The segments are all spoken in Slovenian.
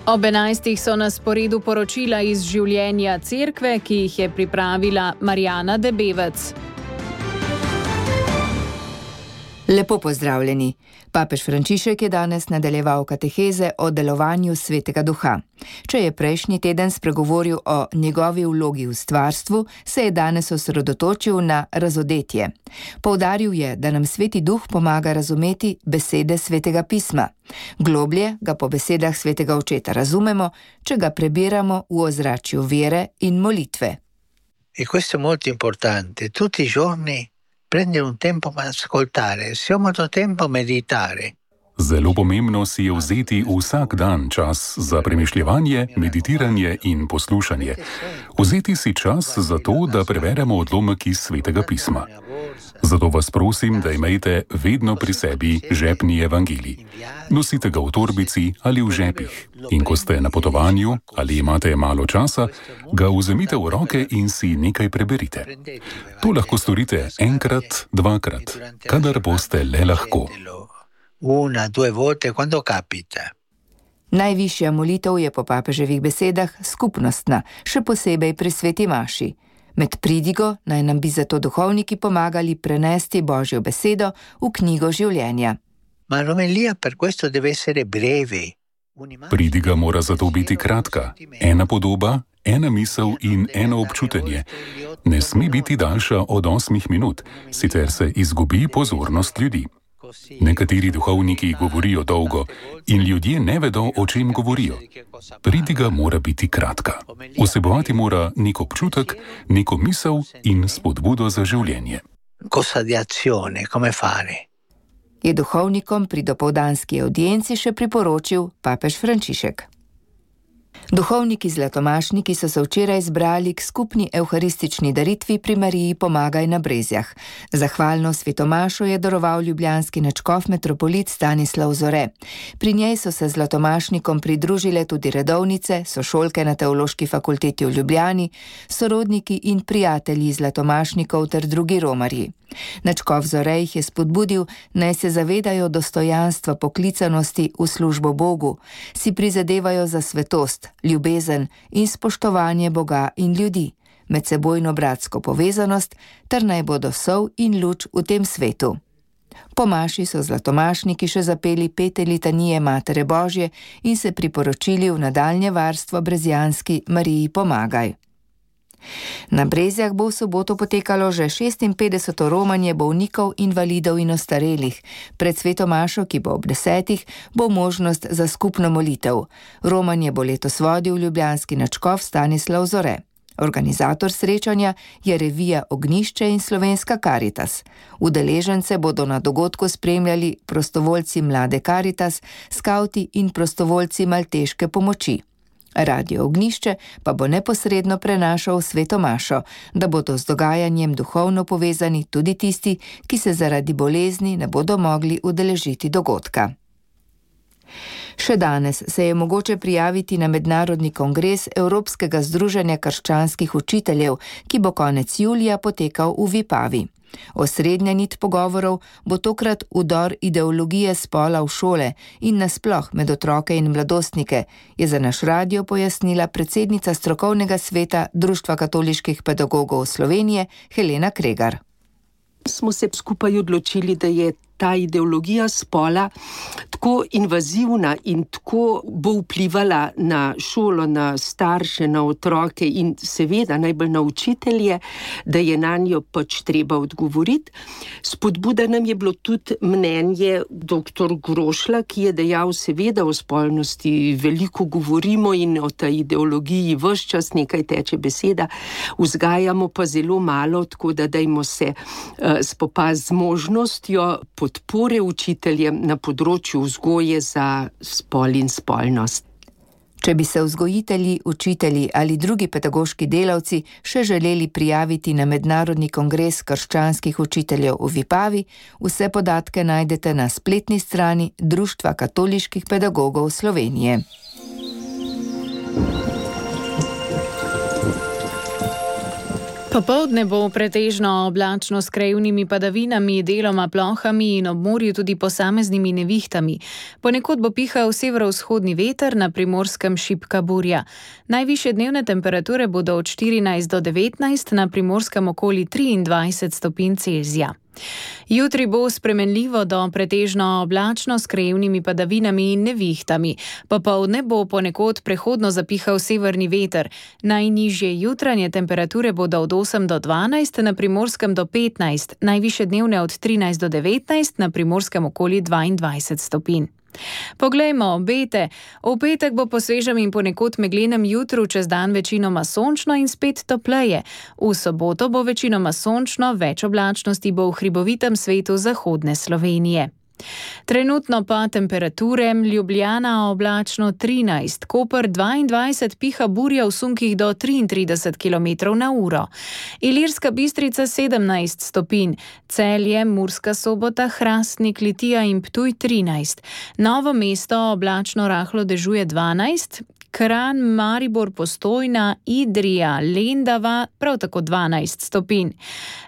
Ob 11. so na sporedu poročila iz življenja cerkve, ki jih je pripravila Marjana Debevec. Lepo pozdravljeni. Papež Frančišek je danes nadaljeval kateheze o delovanju Svetega Duha. Če je prejšnji teden spregovoril o njegovi vlogi v stvarstvu, se je danes osredotočil na razodetje. Poudaril je, da nam Sveti Duh pomaga razumeti besede Svetega pisma. Globlje ga po besedah Svetega Očeta razumemo, če ga prebiramo v ozračju vere in molitve. E questo è molto importante. Tutti i giorni prendere un tempo per ascoltare, se ho molto tempo meditare. Zelo pomembno si je vzeti vsak dan čas za premišljevanje, meditiranje in poslušanje. Vzeti si čas za to, da preveremo odlomek iz Svetega pisma. Zato vas prosim, da imejte vedno pri sebi žepni evangelij. Nosite ga v torbici ali v žepih. In ko ste na potovanju ali imate malo časa, ga vzemite v roke in si nekaj preberite. To lahko storite enkrat, dvakrat, kadar boste le lahko. Una, due volte, quando capita. Najvišja molitev je po papeževih besedah skupnostna, še posebej pri sveti maši. Med pridigo naj nam bi zato duhovniki pomagali prenesti Božjo besedo v knjigo življenja. Ma l'omelia per questo deve essere breve. Pridiga mora zato biti kratka. Ena podoba, ena misel in eno občutenje. Ne sme biti daljša od 8 minut, sicer se izgubi pozornost ljudi. Nekateri duhovniki govorijo dolgo in ljudje ne vedo, o čem govorijo. Pridiga mora biti kratka. Vsebovati mora nek občutek, neko misel in spodbudo za življenje. Cosa di azione, come fare? Je duhovnikom pri dopoldanski audienci še priporočil papež Frančišek. Duhovniki zlatomašniki so se včeraj zbrali k skupni evharistični daritvi pri Mariji Pomagaj na Brezjah. Zahvalno svetomašo je daroval ljubljanski nadškof metropolit Stanislav Zore. Pri njej so se zlatomašnikom pridružile tudi redovnice, sošolke na Teološki fakulteti v Ljubljani, sorodniki in prijatelji zlatomašnikov ter drugi romarji. Nadškof Zore jih je spodbudil, naj se zavedajo dostojanstva poklicanosti v službo Bogu, si prizadevajo za svetost, ljubezen in spoštovanje Boga in ljudi, medsebojno bratsko povezanost, ter naj bodo sol in luč v tem svetu. Po maši so zlatomašniki še zapeli 5 litanije Matere Božje in se priporočili v nadaljnje varstvo brezjanski Mariji Pomagaj. Na Brezjah bo v soboto potekalo že 56. romanje bolnikov, invalidov in ostarelih. Pred sveto mašo, ki bo ob 10, bo možnost za skupno molitev. Romanje bo letos vodil ljubljanski nadškof Stanislav Zore. Organizator srečanja je revija Ognjišče in Slovenska Karitas. Udeležence bodo na dogodku spremljali prostovoljci Mlade Karitas, skavti in prostovoljci Malteške pomoči. Radio Ognjišče pa bo neposredno prenašal sveto mašo, da bodo z dogajanjem duhovno povezani tudi tisti, ki se zaradi bolezni ne bodo mogli udeležiti dogodka. Še danes se je mogoče prijaviti na mednarodni kongres Evropskega združenja krščanskih učiteljev, ki bo konec julija potekal v Vipavi. Osrednja nit pogovorov bo tokrat vdor ideologije spola v šole in nasploh med otroke in mladostnike, je za naš radio pojasnila predsednica strokovnega sveta Društva katoliških pedagogov Slovenije Helena Kregar. Smo se skupaj odločili, da je ta ideologija spola tako invazivna in tako bo vplivala na šolo, na starše, na otroke in seveda najbolj na učitelje, da je nanjo pač treba odgovoriti. Spodbuda nam je bilo tudi mnenje dr. Grošla, ki je dejal, seveda o spolnosti veliko govorimo in o tej ideologiji ves čas nekaj teče beseda, vzgajamo pa zelo malo, tako da dajmo se spopasti z možnostjo podpore učiteljem na področju vzgoje za spol in spolnost. Če bi se vzgojitelji, učitelji ali drugi pedagoški delavci še želeli prijaviti na mednarodni kongres krščanskih učiteljev v Vipavi, vse podatke najdete na spletni strani Društva katoliških pedagogov Slovenije. Popoldne bo pretežno oblačno s krajevnimi padavinami, deloma plohami in ob morju tudi posameznimi nevihtami. Ponekod bo pihal severovzhodni veter, na Primorskem šibka burja. Najvišje dnevne temperature bodo od 14 do 19, na Primorskem okoli 23 stopinj Celzija. Jutri bo spremenljivo do pretežno oblačno s krajevnimi padavinami in nevihtami. Popoldne bo ponekod prehodno zapihal severni veter. Najnižje jutranje temperature bodo od 8 do 12, na Primorskem do 15, najvišje dnevne od 13 do 19, na Primorskem okoli 22 stopinj. Poglejmo obete. V petek bo po svežem in ponekod meglenem jutru čez dan večinoma sončno in spet topleje. V soboto bo večinoma sončno, več oblačnosti bo v hribovitem svetu zahodne Slovenije. Trenutno pa temperature: Ljubljana oblačno 13, Koper 22, piha burja v sunkih do 33 km/h. Ilirska Bistrica 17 stopinj, Celje, Murska Sobota, Hrastnik, Litija in Ptuj 13, Novo mesto oblačno rahlo dežuje 12, Kranj, Maribor, Postojna, Idrija, Lendava prav tako 12 stopinj.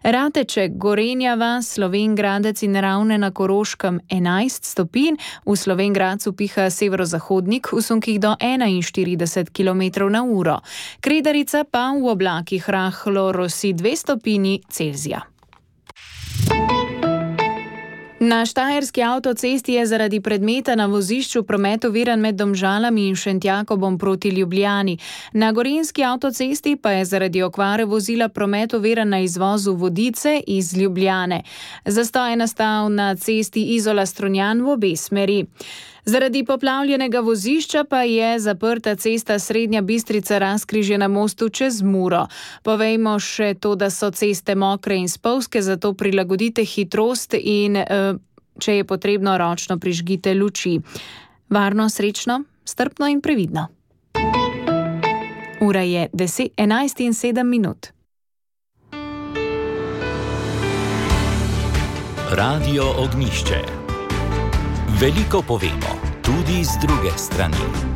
Rateček, Gorenja vas, Slovenj Gradec in Ravne na Koroškem 11 stopinj, v Slovenj Gradcu piha severozahodnik v sunkih do 41 km/h. Kredarica pa v oblakih rahlo rosi 2 stopinji Celzija. Na štajerski avtocesti je zaradi predmeta na vozišču promet oviran med Domžalami in Šentjakobom proti Ljubljani. Na gorenjski avtocesti pa je zaradi okvare vozila promet oviran na izvozu Vodice iz Ljubljane. Zastoj je nastal na cesti Izola-Strunjan v obe smeri. Zaradi poplavljenega vozišča pa je zaprta cesta Srednja Bistrica-Razkrižje na mostu čez Muro. Povejmo še to, da so ceste mokre in spolzke, zato prilagodite hitrost in, če je potrebno, ročno prižgite luči. Varno, srečno, strpno in previdno. Ura je 11:07. Radio Ognjišče. Veliko povemo, tudi z druge strani.